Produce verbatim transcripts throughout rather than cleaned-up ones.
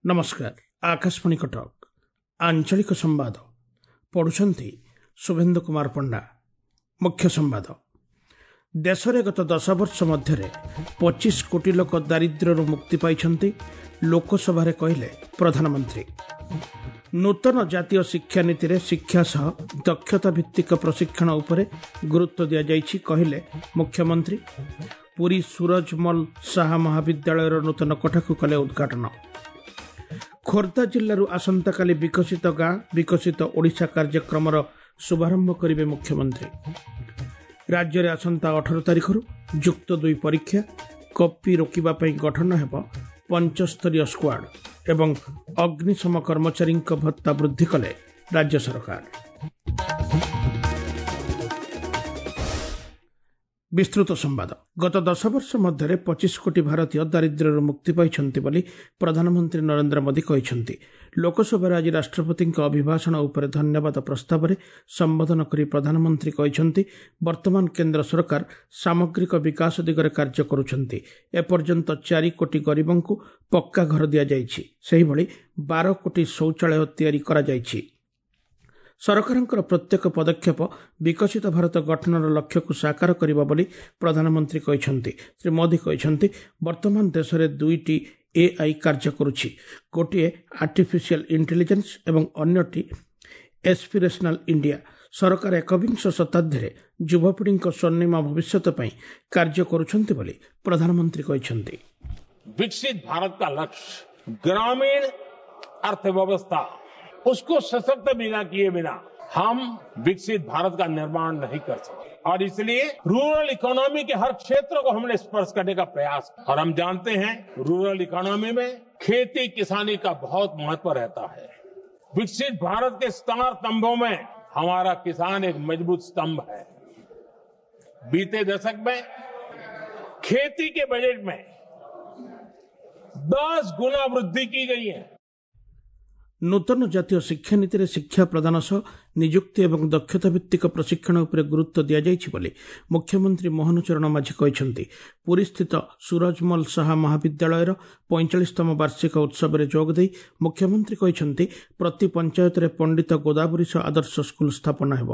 ନମସ୍କାର, ଆକାଶବାଣୀ କଟକ, ଆଞ୍ଚଳିକ ସମ୍ବାଦ ପଢୁଛନ୍ତି ଶୁଭେନ୍ଦୁ କୁମାର ପଣ୍ଡା। ମୁଖ୍ୟ ସମ୍ବାଦ। ଦେଶରେ ଗତ ଦଶ ବର୍ଷ ମଧ୍ୟରେ ପଚିଶ କୋଟି ଲୋକ ଦାରିଦ୍ର୍ୟରୁ ମୁକ୍ତି ପାଇଛନ୍ତି, ଲୋକସଭାରେ କହିଲେ ପ୍ରଧାନମନ୍ତ୍ରୀ। ନୂତନ ଜାତୀୟ ଶିକ୍ଷାନୀତିରେ ଶିକ୍ଷା ସହ ଦକ୍ଷତା ଭିତ୍ତିକ ପ୍ରଶିକ୍ଷଣ ଉପରେ ଗୁରୁତ୍ୱ ଦିଆଯାଇଛି, କହିଲେ ମୁଖ୍ୟମନ୍ତ୍ରୀ। ପୁରୀ ସୁରଜମଲ ସାହା ମହାବିଦ୍ୟାଳୟର ନୂତନ କୋଠାକୁ କଲେ ଉଦ୍ଘାଟନ। ଖୋର୍ଦ୍ଧା ଜିଲ୍ଲାରୁ ଆସନ୍ତାକାଲି ବିକଶିତ ଗାଁ ବିକଶିତ ଓଡ଼ିଶା କାର୍ଯ୍ୟକ୍ରମର ଶୁଭାରମ୍ଭ କରିବେ ମୁଖ୍ୟମନ୍ତ୍ରୀ। ରାଜ୍ୟରେ ଆସନ୍ତା ଅଠର ତାରିଖରୁ ଯୁକ୍ତ ଦୁଇ ପରୀକ୍ଷା, କପି ରୋକିବା ପାଇଁ ଗଠନ ହେବ ପଞ୍ଚସ୍ତରୀୟ ସ୍କ୍ୱାଡ୍ ଏବଂ ଅଗ୍ନିଶମ କର୍ମଚାରୀଙ୍କ ଭତ୍ତା ବୃଦ୍ଧି କଲେ ରାଜ୍ୟ ସରକାର। ବିସ୍ତୃତ ସମ୍ବାଦ। ଗତ ଦଶ ବର୍ଷ ମଧ୍ୟରେ ପଚିଶ କୋଟି ଭାରତୀୟ ଦାରିଦ୍ର୍ୟରୁ ମୁକ୍ତି ପାଇଛନ୍ତି ବୋଲି ପ୍ରଧାନମନ୍ତ୍ରୀ ନରେନ୍ଦ୍ର ମୋଦି କହିଛନ୍ତି। ଲୋକସଭାରେ ଆଜି ରାଷ୍ଟ୍ରପତିଙ୍କ ଅଭିଭାଷଣ ଉପରେ ଧନ୍ୟବାଦ ପ୍ରସ୍ତାବରେ ସମ୍ବୋଧନ କରି ପ୍ରଧାନମନ୍ତ୍ରୀ କହିଛନ୍ତି, ବର୍ତ୍ତମାନ କେନ୍ଦ୍ର ସରକାର ସାମଗ୍ରିକ ବିକାଶ ଦିଗରେ କାର୍ଯ୍ୟ କରୁଛନ୍ତି। ଏପର୍ଯ୍ୟନ୍ତ ଚାରି କୋଟି ଗରିବଙ୍କୁ ପକ୍କା ଘର ଦିଆଯାଇଛି। ସେହିଭଳି ବାର କୋଟି ଶୌଚାଳୟ ତିଆରି କରାଯାଇଛି। ସରକାରଙ୍କର ପ୍ରତ୍ୟେକ ପଦକ୍ଷେପ ବିକଶିତ ଭାରତ ଗଠନର ଲକ୍ଷ୍ୟକୁ ସାକାର କରିବ ବୋଲି ପ୍ରଧାନମନ୍ତ୍ରୀ କହିଛନ୍ତି। ଶ୍ରୀ ମୋଦି କହିଛନ୍ତି, ବର୍ତ୍ତମାନ ଦେଶରେ ଦୁଇଟି ଏଆଇ କାର୍ଯ୍ୟ କରୁଛି। ଗୋଟିଏ ଆର୍ଟିଫିସିଆଲ ଇଣ୍ଟେଲିଜେନ୍ସ ଏବଂ ଅନ୍ୟଟି ଏସ୍ପିରେସନାଲ ଇଣ୍ଡିଆ। ସରକାର ଏକବିଂଶ ଶତାବ୍ଦୀରେ ଯୁବପିଢ଼ିଙ୍କ ସ୍ୱର୍ଣ୍ଣିମ ଭବିଷ୍ୟତ ପାଇଁ କାର୍ଯ୍ୟ କରୁଛନ୍ତି ବୋଲି ପ୍ରଧାନମନ୍ତ୍ରୀ କହିଛନ୍ତି। विकसित भारत का लक्ष्य ग्रामीण अर्थव्यवस्था, उसको सशक्त बिना किए बिना हम विकसित भारत का निर्माण नहीं कर सकते और इसलिए रूरल इकोनॉमी के हर क्षेत्र को हमने स्पर्श करने का प्रयास। और हम जानते हैं रूरल इकोनॉमी में खेती किसानी का बहुत महत्व रहता है। विकसित भारत के चार स्तंभों में हमारा किसान एक मजबूत स्तंभ है। बीते दशक में खेती के बजट में दस गुना वृद्धि की गई है। ନୂତନ ଜାତୀୟ ଶିକ୍ଷାନୀତିରେ ଶିକ୍ଷା ପ୍ରଦାନ ସହ ନିଯୁକ୍ତି ଏବଂ ଦକ୍ଷତା ଭିତ୍ତିକ ପ୍ରଶିକ୍ଷଣ ଉପରେ ଗୁରୁତ୍ୱ ଦିଆଯାଇଛି ବୋଲି ମୁଖ୍ୟମନ୍ତ୍ରୀ ମୋହନ ଚରଣ ମାଝୀ କହିଛନ୍ତି। ପୁରୀସ୍ଥିତ ସୁରଜମଲ ସାହା ମହାବିଦ୍ୟାଳୟର ପଇଁଚାଳିଶତମ ବାର୍ଷିକ ଉତ୍ସବରେ ଯୋଗଦେଇ ମୁଖ୍ୟମନ୍ତ୍ରୀ କହିଛନ୍ତି, ପ୍ରତି ପଞ୍ଚାୟତରେ ପଣ୍ଡିତ ଗୋଦାବରୀଶ ଆଦର୍ଶ ସ୍କୁଲ ସ୍ଥାପନ ହେବ।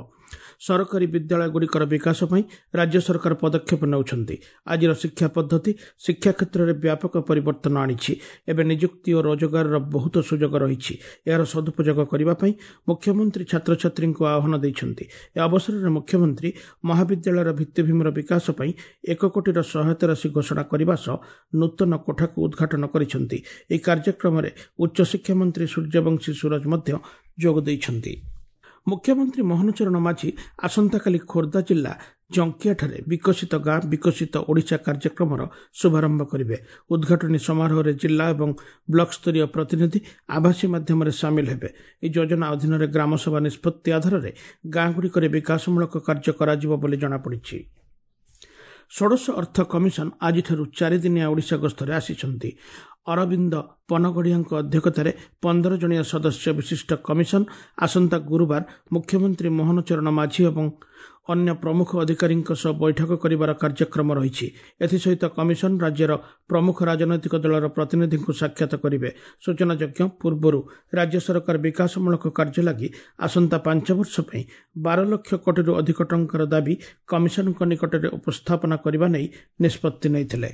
ସରକାରୀ ବିଦ୍ୟାଳୟଗୁଡ଼ିକର ବିକାଶ ପାଇଁ ରାଜ୍ୟ ସରକାର ପଦକ୍ଷେପ ନେଉଛନ୍ତି। ଆଜିର ଶିକ୍ଷା ପଦ୍ଧତି ଶିକ୍ଷା କ୍ଷେତ୍ରରେ ବ୍ୟାପକ ପରିବର୍ତ୍ତନ ଆଣିଛି। ଏବେ ନିଯୁକ୍ତି ଓ ରୋଜଗାରର ବହୁତ ସୁଯୋଗ ରହିଛି। ଏହାର ସଦୁପଯୋଗ କରିବା ପାଇଁ ମୁଖ୍ୟମନ୍ତ୍ରୀ ଛାତ୍ରଛାତ୍ରୀଙ୍କୁ ଆହ୍ୱାନ ଦେଇଛନ୍ତି। ଏ ଅବସରରେ ମୁଖ୍ୟମନ୍ତ୍ରୀ ମହାବିଦ୍ୟାଳୟର ଭିତ୍ତିଭୂମିର ବିକାଶ ପାଇଁ ଏକ କୋଟିର ସହାୟତା ରାଶି ଘୋଷଣା କରିବା ସହ ନୂତନ କୋଠାକୁ ଉଦ୍ଘାଟନ କରିଛନ୍ତି। ଏହି କାର୍ଯ୍ୟକ୍ରମରେ ଉଚ୍ଚଶିକ୍ଷା ମନ୍ତ୍ରୀ ସୂର୍ଯ୍ୟବଂଶୀ ସୂରଜ ମଧ୍ୟ ଯୋଗ ଦେଇଛନ୍ତି। ମୁଖ୍ୟମନ୍ତ୍ରୀ ମୋହନ ଚରଣ ମାଝୀ ଆସନ୍ତାକାଲି ଖୋର୍ଦ୍ଧା ଜିଲ୍ଲା ଜଙ୍କିଆଠାରେ ବିକଶିତ ଗାଁ ବିକଶିତ ଓଡ଼ିଶା କାର୍ଯ୍ୟକ୍ରମର ଶୁଭାରମ୍ଭ କରିବେ। ଉଦ୍ଘାଟନୀ ସମାରୋହରେ ଜିଲ୍ଲା ଏବଂ ବ୍ଲକ ସ୍ତରୀୟ ପ୍ରତିନିଧି ଆଭାସୀ ମାଧ୍ୟମରେ ସାମିଲ ହେବେ। ଏହି ଯୋଜନା ଅଧୀନରେ ଗ୍ରାମସଭା ନିଷ୍ପତ୍ତି ଆଧାରରେ ଗାଁଗୁଡ଼ିକରେ ବିକାଶମୂଳକ କାର୍ଯ୍ୟ କରାଯିବ ବୋଲି ଜଣାପଡ଼ିଛି। ଷୋଡ଼ଶ ଅର୍ଥ କମିଶନ ଆଜିଠାରୁ ଚାରିଦିନିଆ ଓଡ଼ିଶା ଗସ୍ତରେ ଆସିଛନ୍ତି। ଅରବିନ୍ଦ ପନଗଡ଼ିଆଙ୍କ ଅଧ୍ୟକ୍ଷତାରେ ପନ୍ଦର ଜଣିଆ ସଦସ୍ୟ ବିଶିଷ୍ଟ କମିଶନ ଆସନ୍ତା ଗୁରୁବାର ମୁଖ୍ୟମନ୍ତ୍ରୀ ମୋହନ ଚରଣ ମାଝୀ ଏବଂ ଅନ୍ୟ ପ୍ରମୁଖ ଅଧିକାରୀଙ୍କ ସହ ବୈଠକ କରିବାର କାର୍ଯ୍ୟକ୍ରମ ରହିଛି। ଏଥିସହିତ କମିଶନ ରାଜ୍ୟର ପ୍ରମୁଖ ରାଜନୈତିକ ଦଳର ପ୍ରତିନିଧିଙ୍କୁ ସାକ୍ଷାତ କରିବେ। ସୂଚନାଯୋଗ୍ୟ, ପୂର୍ବରୁ ରାଜ୍ୟ ସରକାର ବିକାଶମୂଳକ କାର୍ଯ୍ୟ ଲାଗି ଆସନ୍ତା ପାଞ୍ଚ ବର୍ଷ ପାଇଁ ବାର ଲକ୍ଷ କୋଟିରୁ ଅଧିକ ଟଙ୍କାର ଦାବି କମିଶନଙ୍କ ନିକଟରେ ଉପସ୍ଥାପନା କରିବା ନେଇ ନିଷ୍ପତ୍ତି ନେଇଥିଲେ।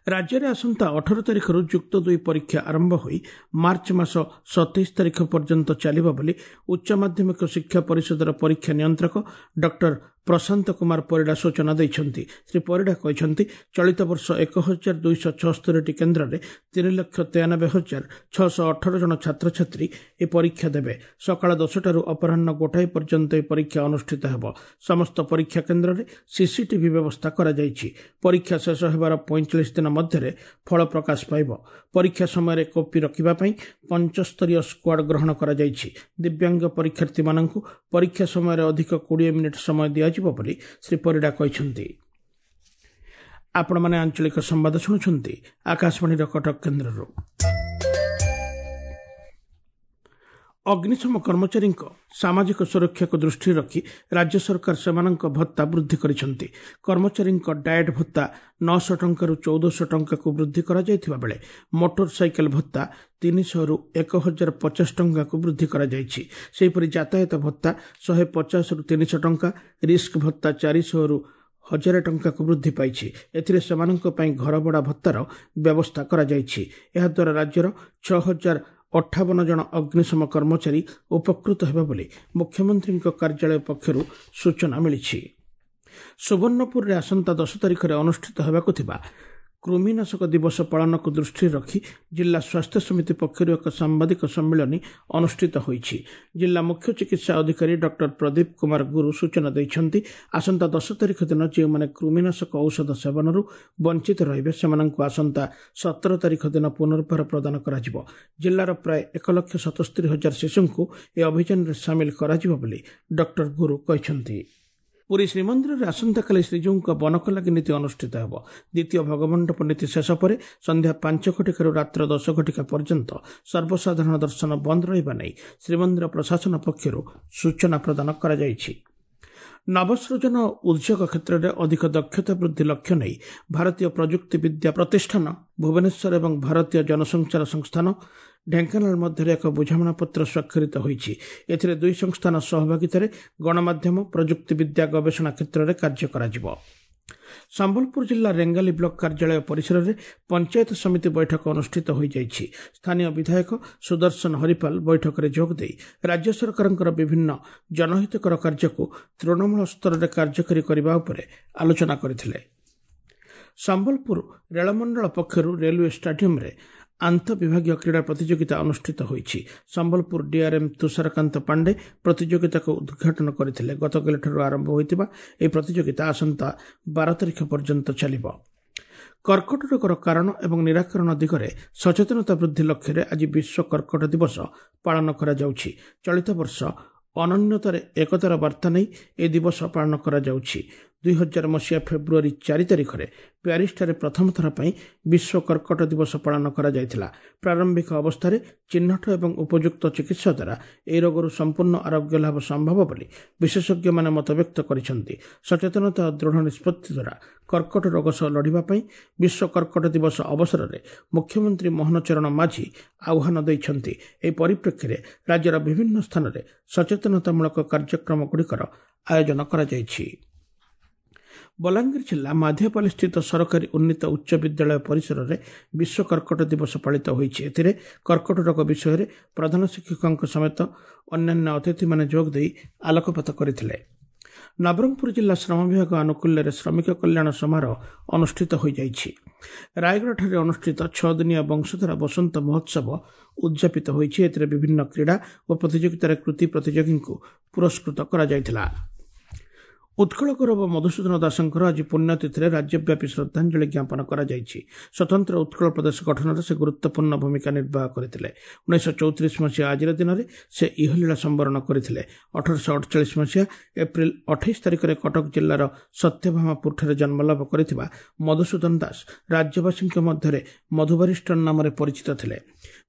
ରାଜ୍ୟରେ ଆସନ୍ତା ଅଠର ତାରିଖରୁ ଯୁକ୍ତ ଦୁଇ ପରୀକ୍ଷା ଆରମ୍ଭ ହୋଇ ମାର୍ଚ୍ଚ ମାସ ସତେଇଶ ତାରିଖ ପର୍ଯ୍ୟନ୍ତ ଚାଲିବ ବୋଲି ଉଚ୍ଚ ମାଧ୍ୟମିକ ଶିକ୍ଷା ପରିଷଦର ପରୀକ୍ଷା ନିୟନ୍ତ୍ରକ ଡକ୍ଟର ପ୍ରଶାନ୍ତ କୁମାର ପରିଡ଼ା ସୂଚନା ଦେଇଛନ୍ତି। ଶ୍ରୀ ପରିଡ଼ା କହିଛନ୍ତି, ଚଳିତ ବର୍ଷ ଏକ ହଜାର ଦୁଇଶହ ଛଅସ୍ତରୀଟି କେନ୍ଦ୍ରରେ ତିନି ଲକ୍ଷ ତେୟାନବେ ହଜାର ଛଅଶହ ଅଠର ଜଣ ଛାତ୍ରଛାତ୍ରୀ ଏହି ପରୀକ୍ଷା ଦେବେ। ସକାଳ ଦଶଟାରୁ ଅପରାହ୍ନ ଗୋଟାଏ ପର୍ଯ୍ୟନ୍ତ ଏହି ପରୀକ୍ଷା ଅନୁଷ୍ଠିତ ହେବ। ସମସ୍ତ ପରୀକ୍ଷା କେନ୍ଦ୍ରରେ ସିସିଟିଭି ବ୍ୟବସ୍ଥା କରାଯାଇଛି। ପରୀକ୍ଷା ଶେଷ ହେବାର ପଇଁଚାଳିଶ ଦିନ ମଧ୍ୟରେ ଫଳ ପ୍ରକାଶ ପାଇବ। ପରୀକ୍ଷା ସମୟରେ କପି ରଖିବା ପାଇଁ ପଞ୍ଚସ୍ତରୀୟ ସ୍କ୍ୱାଡ୍ ଗ୍ରହଣ କରାଯାଇଛି। ଦିବ୍ୟାଙ୍ଗ ପରୀକ୍ଷାର୍ଥୀମାନଙ୍କୁ ପରୀକ୍ଷା ସମୟରେ ଅଧିକ କୋଡ଼ିଏ ମିନିଟ୍ ସମୟ ଦିଆଯିବ ବୋଲି ଶ୍ରୀ ପରିଡ଼ା କହିଛନ୍ତି। ଆପଣମାନେ ଆଞ୍ଚଳିକ ସମ୍ବାଦ ଶୁଣୁଛନ୍ତି ଆକାଶବାଣୀର କଟକ କେନ୍ଦ୍ରରୁ। ଅଗ୍ନିଶମ କର୍ମଚାରୀଙ୍କ ସାମାଜିକ ସୁରକ୍ଷାକୁ ଦୃଷ୍ଟିରେ ରଖି ରାଜ୍ୟ ସରକାର ସେମାନଙ୍କ ଭତ୍ତା ବୃଦ୍ଧି କରିଛନ୍ତି। କର୍ମଚାରୀଙ୍କ ଡାଏଟ୍ ଭତ୍ତା ନଅଶହ ଟଙ୍କାରୁ ଚଉଦଶହ ଟଙ୍କାକୁ ବୃଦ୍ଧି କରାଯାଇଥିବା ବେଳେ ମୋଟର ସାଇକେଲ ଭତ୍ତା ତିନିଶହରୁ ଏକ ହଜାର ପଚାଶ ଟଙ୍କାକୁ ବୃଦ୍ଧି କରାଯାଇଛି। ସେହିପରି ଯାତାୟାତ ଭତ୍ତା ଶହେ ପଚାଶରୁ ତିନିଶହ ଟଙ୍କା, ରିସ୍କ ଭତ୍ତା ଚାରିଶହରୁ ହଜାରେ ଟଙ୍କାକୁ ବୃଦ୍ଧି ପାଇଛି। ଏଥିରେ ସେମାନଙ୍କ ପାଇଁ ଘରଭଡ଼ା ଭତ୍ତାର ବ୍ୟବସ୍ଥା କରାଯାଇଛି। ଏହାଦ୍ୱାରା ରାଜ୍ୟର ଛଅ ହଜାର ଅଠାବନ ଜଣ ଅଗ୍ନିଶମ କର୍ମଚାରୀ ଉପକୃତ ହେବେ ବୋଲି ମୁଖ୍ୟମନ୍ତ୍ରୀଙ୍କ କାର୍ଯ୍ୟାଳୟ ପକ୍ଷରୁ ସୂଚନା ମିଳିଛି। ସୁବର୍ଣ୍ଣପୁରରେ ଆସନ୍ତା ଦଶ ତାରିଖରେ ଅନୁଷ୍ଠିତ ହେବାକୁ ଥିବା କୃମିନାଶକ ଦିବସ ପାଳନକୁ ଦୃଷ୍ଟିରେ ରଖି ଜିଲ୍ଲା ସ୍ୱାସ୍ଥ୍ୟ ସମିତି ପକ୍ଷରୁ ଏକ ସାମ୍ବାଦିକ ସମ୍ମିଳନୀ ଅନୁଷ୍ଠିତ ହୋଇଛି। ଜିଲ୍ଲା ମୁଖ୍ୟ ଚିକିତ୍ସା ଅଧିକାରୀ ଡକ୍ଟର ପ୍ରଦୀପ କୁମାର ଗୁରୁ ସୂଚନା ଦେଇଛନ୍ତି, ଆସନ୍ତା ଦଶ ତାରିଖ ଦିନ ଯେଉଁମାନେ କୃମିନାଶକ ଔଷଧ ସେବନରୁ ବଞ୍ଚିତ ରହିବେ ସେମାନଙ୍କୁ ଆସନ୍ତା ସତର ତାରିଖ ଦିନ ପୁନର୍ବାର ପ୍ରଦାନ କରାଯିବ। ଜିଲ୍ଲାର ପ୍ରାୟ ଏକ ଲକ୍ଷ ସତସ୍ତରୀ ହଜାର ଶିଶୁଙ୍କୁ ଏ ଅଭିଯାନରେ ସାମିଲ କରାଯିବ ବୋଲି ଡକ୍ଟର ଗୁରୁ କହିଛନ୍ତି। ପୁରୀ ଶ୍ରୀମନ୍ଦିରରେ ଆସନ୍ତାକାଲି ଶ୍ରୀଜୀଉଙ୍କ ବନକଲାଗି ନୀତି ଅନୁଷ୍ଠିତ ହେବ। ଦ୍ୱିତୀୟ ଭଗମଣ୍ଡପ ନୀତି ଶେଷ ପରେ ସନ୍ଧ୍ୟା ପାଞ୍ଚ ଘଟିକାରୁ ରାତ୍ର ଦଶ ଘଟିକା ପର୍ଯ୍ୟନ୍ତ ସର୍ବସାଧାରଣ ଦର୍ଶନ ବନ୍ଦ ରହିବା ନେଇ ଶ୍ରୀମନ୍ଦିର ପ୍ରଶାସନ ପକ୍ଷରୁ ସୂଚନା ପ୍ରଦାନ କରାଯାଇଛି। ନବସୃଜନ ଓ ଉଦ୍ୟୋଗ କ୍ଷେତ୍ରରେ ଅଧିକ ଦକ୍ଷତା ବୃଦ୍ଧି ଲକ୍ଷ୍ୟ ନେଇ ଭାରତୀୟ ପ୍ରଯୁକ୍ତି ବିଦ୍ୟା ପ୍ରତିଷ୍ଠାନ ଭୁବନେଶ୍ୱର ଏବଂ ଭାରତୀୟ ଜନସଞ୍ଚାର ସଂସ୍ଥାନ ଢେଙ୍କାନାଳ ମଧ୍ୟରେ ଏକ ବୁଝାମଣାପତ୍ର ସ୍ୱାକ୍ଷରିତ ହୋଇଛି। ଏଥିରେ ଦୁଇ ସଂସ୍ଥାନ ସହଭାଗିତାରେ ଗଣମାଧ୍ୟମ, ପ୍ରଯୁକ୍ତିବିଦ୍ୟା ଗବେଷଣା କ୍ଷେତ୍ରରେ କାର୍ଯ୍ୟ କରାଯିବ। ସମ୍ବଲପୁର ଜିଲ୍ଲା ରେଙ୍ଗାଲି ବ୍ଲକ କାର୍ଯ୍ୟାଳୟ ପରିସରରେ ପଞ୍ଚାୟତ ସମିତି ବୈଠକ ଅନୁଷ୍ଠିତ ହୋଇଯାଇଛି। ସ୍ଥାନୀୟ ବିଧାୟକ ସୁଦର୍ଶନ ହରିପାଲ ବୈଠକରେ ଯୋଗଦେଇ ରାଜ୍ୟ ସରକାରଙ୍କର ବିଭିନ୍ନ ଜନହିତକର କାର୍ଯ୍ୟକୁ ତୃଣମୂଳ ସ୍ତରରେ କାର୍ଯ୍ୟକାରୀ କରିବା ଉପରେ ଆଲୋଚନା କରିଥିଲେ। ସମ୍ବଲପୁର ରେଳମଣ୍ଡଳ ପକ୍ଷରୁ ରେଲୱେ ଷ୍ଟାଡିୟମରେ ଆନ୍ତଃବିଭାଗୀୟ କ୍ରୀଡ଼ା ପ୍ରତିଯୋଗିତା ଅନୁଷ୍ଠିତ ହୋଇଛି। ସମ୍ବଲପୁର ଡିଆର୍ଏମ୍ ତୁଷାରକାନ୍ତ ପାଣ୍ଡେ ପ୍ରତିଯୋଗିତାକୁ ଉଦ୍ଘାଟନ କରିଥିଲେ। ଗତକାଲିଠାରୁ ଆରମ୍ଭ ହୋଇଥିବା ଏହି ପ୍ରତିଯୋଗିତା ଆସନ୍ତା ବାର ତାରିଖ ପର୍ଯ୍ୟନ୍ତ ଚାଲିବ। କର୍କଟ ରୋଗର କାରଣ ଏବଂ ନିରାକରଣ ଦିଗରେ ସଚେତନତା ବୃଦ୍ଧି ଲକ୍ଷ୍ୟରେ ଆଜି ବିଶ୍ୱ କର୍କଟ ଦିବସ ପାଳନ କରାଯାଉଛି। ଚଳିତ ବର୍ଷ ଅନନ୍ୟତାରେ ଏକତାର ବାର୍ତ୍ତା ନେଇ ଏହି ଦିବସ ପାଳନ କରାଯାଉଛି। ଦୁଇ ହଜାର ମସିହା ଫେବୃଆରୀ ଚାରି ତାରିଖରେ ପ୍ୟାରିସଠାରେ ପ୍ରଥମ ଥର ପାଇଁ ବିଶ୍ୱ କର୍କଟ ଦିବସ ପାଳନ କରାଯାଇଥିଲା। ପ୍ରାରମ୍ଭିକ ଅବସ୍ଥାରେ ଚିହ୍ନଟ ଏବଂ ଉପଯୁକ୍ତ ଚିକିତ୍ସା ଦ୍ୱାରା ଏହି ରୋଗରୁ ସମ୍ପୂର୍ଣ୍ଣ ଆରୋଗ୍ୟ ଲାଭ ସମ୍ଭବ ବୋଲି ବିଶେଷଜ୍ଞମାନେ ମତବ୍ୟକ୍ତ କରିଛନ୍ତି। ସଚେତନତା ଓ ଦୃଢ଼ ନିଷ୍ପତ୍ତି ଦ୍ୱାରା କର୍କଟ ରୋଗ ସହ ଲଢ଼ିବା ପାଇଁ ବିଶ୍ୱ କର୍କଟ ଦିବସ ଅବସରରେ ମୁଖ୍ୟମନ୍ତ୍ରୀ ମୋହନ ଚରଣ ମାଝୀ ଆହ୍ୱାନ ଦେଇଛନ୍ତି। ଏହି ପରିପ୍ରେକ୍ଷୀରେ ରାଜ୍ୟର ବିଭିନ୍ନ ସ୍ଥାନରେ ସଚେତନତାମୂଳକ କାର୍ଯ୍ୟକ୍ରମଗୁଡ଼ିକର ଆୟୋଜନ କରାଯାଇଛି। ବଲାଙ୍ଗୀର ଜିଲ୍ଲା ମାଧିଆପାଲିସ୍ଥିତ ସରକାରୀ ଉନ୍ନୀତ ଉଚ୍ଚ ବିଦ୍ୟାଳୟ ପରିସରରେ ବିଶ୍ୱ କର୍କଟ ଦିବସ ପାଳିତ ହୋଇଛି। ଏଥିରେ କର୍କଟ ରୋଗ ବିଷୟରେ ପ୍ରଧାନ ଶିକ୍ଷକଙ୍କ ସମେତ ଅନ୍ୟାନ୍ୟ ଅତିଥିମାନେ ଯୋଗଦେଇ ଆଲୋକପାତ କରିଥିଲେ। ନବରଙ୍ଗପୁର ଜିଲ୍ଲା ଶ୍ରମ ବିଭାଗ ଆନୁକୂଲ୍ୟରେ ଶ୍ରମିକ କଲ୍ୟାଣ ସମାରୋହ ଅନୁଷ୍ଠିତ ହୋଇଯାଇଛି। ରାୟଗଡ଼ାଠାରେ ଅନୁଷ୍ଠିତ ଛଅ ଦିନିଆ ବଂଶଧାରା ବସନ୍ତ ମହୋତ୍ସବ ଉଦଯାପିତ ହୋଇଛି। ଏଥିରେ ବିଭିନ୍ନ କ୍ରୀଡ଼ା ଓ ପ୍ରତିଯୋଗିତାରେ କୃତି ପ୍ରତିଯୋଗୀଙ୍କୁ ପୁରସ୍କୃତ କରାଯାଇଥିଲା। ଉତ୍କଳ ଗୌରବ ମଧୁସୂଦନ ଦାସଙ୍କର ଆଜି ପୁଣ୍ୟତିଥିରେ ରାଜ୍ୟବ୍ୟାପୀ ଶ୍ରଦ୍ଧାଞ୍ଜଳି ଜ୍ଞାପନ କରାଯାଇଛି। ସ୍ୱତନ୍ତ୍ର ଉତ୍କଳ ପ୍ରଦେଶ ଗଠନରେ ସେ ଗୁରୁତ୍ୱପୂର୍ଣ୍ଣ ଭୂମିକା ନିର୍ବାହ କରିଥିଲେ। ଉଣେଇଶହ ଚଉତିରିଶ ମସିହା ଆଜିର ଦିନରେ ସେ ଇହଲୀଳା ସମ୍ବରଣ କରିଥିଲେ। ଅଠରଶହ ଅଠଚାଳିଶ ମସିହା ଏପ୍ରିଲ ଅଠେଇଶ ତାରିଖରେ କଟକ ଜିଲ୍ଲାର ସତ୍ୟଭାମାପୁରଠାରେ ଜନ୍ମଲାଭ କରିଥିବା ମଧୁସୂଦନ ଦାସ ରାଜ୍ୟବାସୀଙ୍କ ମଧ୍ୟରେ ମଧୁବାରିଷ୍ଟର ନାମରେ ପରିଚିତ ଥିଲେ।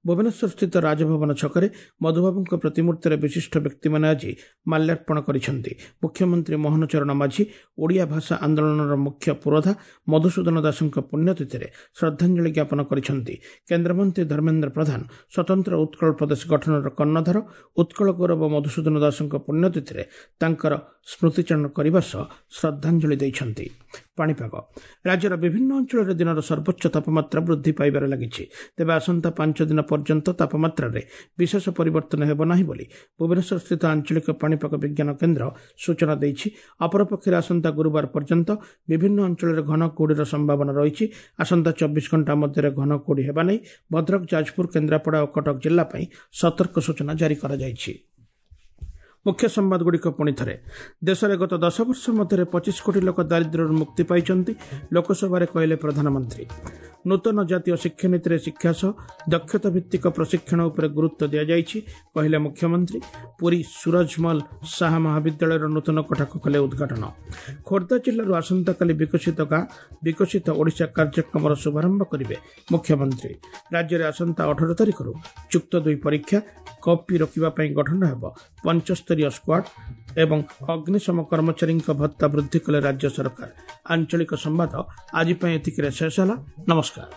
ଭୁବନେଶ୍ୱରସ୍ଥିତ ରାଜଭବନ ଛକରେ ମଧୁବାବୁଙ୍କ ପ୍ରତିମୂର୍ତ୍ତିରେ ବିଶିଷ୍ଟ ବ୍ୟକ୍ତିମାନେ ଆଜି ମାଲ୍ୟାର୍ପଣ କରିଛନ୍ତି। ମୁଖ୍ୟମନ୍ତ୍ରୀ ମୋହନ ଚରଣ ମାଝୀ ଓଡ଼ିଆ ଭାଷା ଆନ୍ଦୋଳନର ମୁଖ୍ୟ ପୁରୋଧା ମଧୁସୂଦନ ଦାସଙ୍କ ପୁଣ୍ୟତିଥିରେ ଶ୍ରଦ୍ଧାଞ୍ଜଳି ଜ୍ଞାପନ କରିଛନ୍ତି। କେନ୍ଦ୍ରମନ୍ତ୍ରୀ ଧର୍ମେନ୍ଦ୍ର ପ୍ରଧାନ ସ୍ୱତନ୍ତ୍ର ଉତ୍କଳ ପ୍ରଦେଶ ଗଠନର କର୍ଣ୍ଣଧାର ଉତ୍କଳ ଗୌରବ ମଧୁସୂଦନ ଦାସଙ୍କ ପୁଣ୍ୟତିଥିରେ ତାଙ୍କର ସ୍ମୃତିଚାରଣ କରିବା ସହ ଶ୍ରଦ୍ଧାଞ୍ଜଳି ଦେଇଛନ୍ତି। ପାଣିପାଗ ରାଜ୍ୟର ବିଭିନ୍ନ ଅଞ୍ଚଳରେ ଦିନର ସର୍ବୋଚ୍ଚ ତାପମାତ୍ରା ବୃଦ୍ଧି ପାଇବାରେ ଲାଗିଛି। ତେବେ ଆସନ୍ତା ପାଞ୍ଚ ଦିନ ପର୍ଯ୍ୟନ୍ତ ତାପମାତ୍ରାରେ ବିଶେଷ ପରିବର୍ତ୍ତନ ହେବ ନାହିଁ ବୋଲି ଭୁବନେଶ୍ୱରସ୍ଥିତ ଆଞ୍ଚଳିକ ପାଣିପାଗ ବିଜ୍ଞାନ କେନ୍ଦ୍ର ସୂଚନା ଦେଇଛି। ଅପରପକ୍ଷରେ ଆସନ୍ତା ଗୁରୁବାର ପର୍ଯ୍ୟନ୍ତ ବିଭିନ୍ନ ଅଞ୍ଚଳରେ ଘନ କୁହୁଡ଼ିର ସମ୍ଭାବନା ରହିଛି। ଆସନ୍ତା ଚବିଶ ଘଣ୍ଟା ମଧ୍ୟରେ ଘନ କୁହୁଡ଼ି ହେବା ନେଇ ଭଦ୍ରକ, ଯାଜପୁର, କେନ୍ଦ୍ରାପଡ଼ା ଓ କଟକ ଜିଲ୍ଲା ପାଇଁ ସତର୍କ ସୂଚନା ଜାରି କରାଯାଇଛି। ମୁଖ୍ୟ ସମ୍ବାଦଗୁଡ଼ିକ ପୁଣି ଥରେ। ଦେଶରେ ଗତ ଦଶ ବର୍ଷ ମଧ୍ୟରେ ପଚିଶ କୋଟି ଲୋକ ଦାରିଦ୍ର୍ୟରୁ ମୁକ୍ତି ପାଇଛନ୍ତି, ଲୋକସଭାରେ କହିଲେ ପ୍ରଧାନମନ୍ତ୍ରୀ। ନୂତନ ଜାତୀୟ ଶିକ୍ଷାନୀତିରେ ଶିକ୍ଷା ସହ ଦକ୍ଷତା ଭିତ୍ତିକ ପ୍ରଶିକ୍ଷଣ ଉପରେ ଗୁରୁତ୍ୱ ଦିଆଯାଇଛି, କହିଲେ ମୁଖ୍ୟମନ୍ତ୍ରୀ। ପୁରୀ ସୁରଜମଲ ଶାହା ମହାବିଦ୍ୟାଳୟର ନୂତନ କୋଠାକୁ କଲେ ଉଦ୍ଘାଟନ। ଖୋର୍ଦ୍ଧା ଜିଲ୍ଲାରୁ ଆସନ୍ତାକାଲି ବିକଶିତ ଗାଁ ବିକଶିତ ଓଡ଼ିଶା କାର୍ଯ୍ୟକ୍ରମର ଶୁଭାରମ୍ଭ କରିବେ ମୁଖ୍ୟମନ୍ତ୍ରୀ। ରାଜ୍ୟରେ ଆସନ୍ତା ଅଠର ତାରିଖରୁ ଯୁକ୍ତ ଦୁଇ ପରୀକ୍ଷା, କପି ରୋକିବା ପାଇଁ ଗଠନ ହେବ ପଞ୍ଚସ୍ତରୀୟ ସ୍କ୍ୱାଡ୍ ଏବଂ ଅଗ୍ନିଶମ କର୍ମଚାରୀଙ୍କ ଭତ୍ତା ବୃଦ୍ଧି କଲେ ରାଜ୍ୟ ସରକାର। ଆଞ୍ଚଳିକ ସମ୍ବାଦ ଆଜି ପାଇଁ ଏତିକିରେ ଶେଷ ହେଲା। ନମସ୍କାର।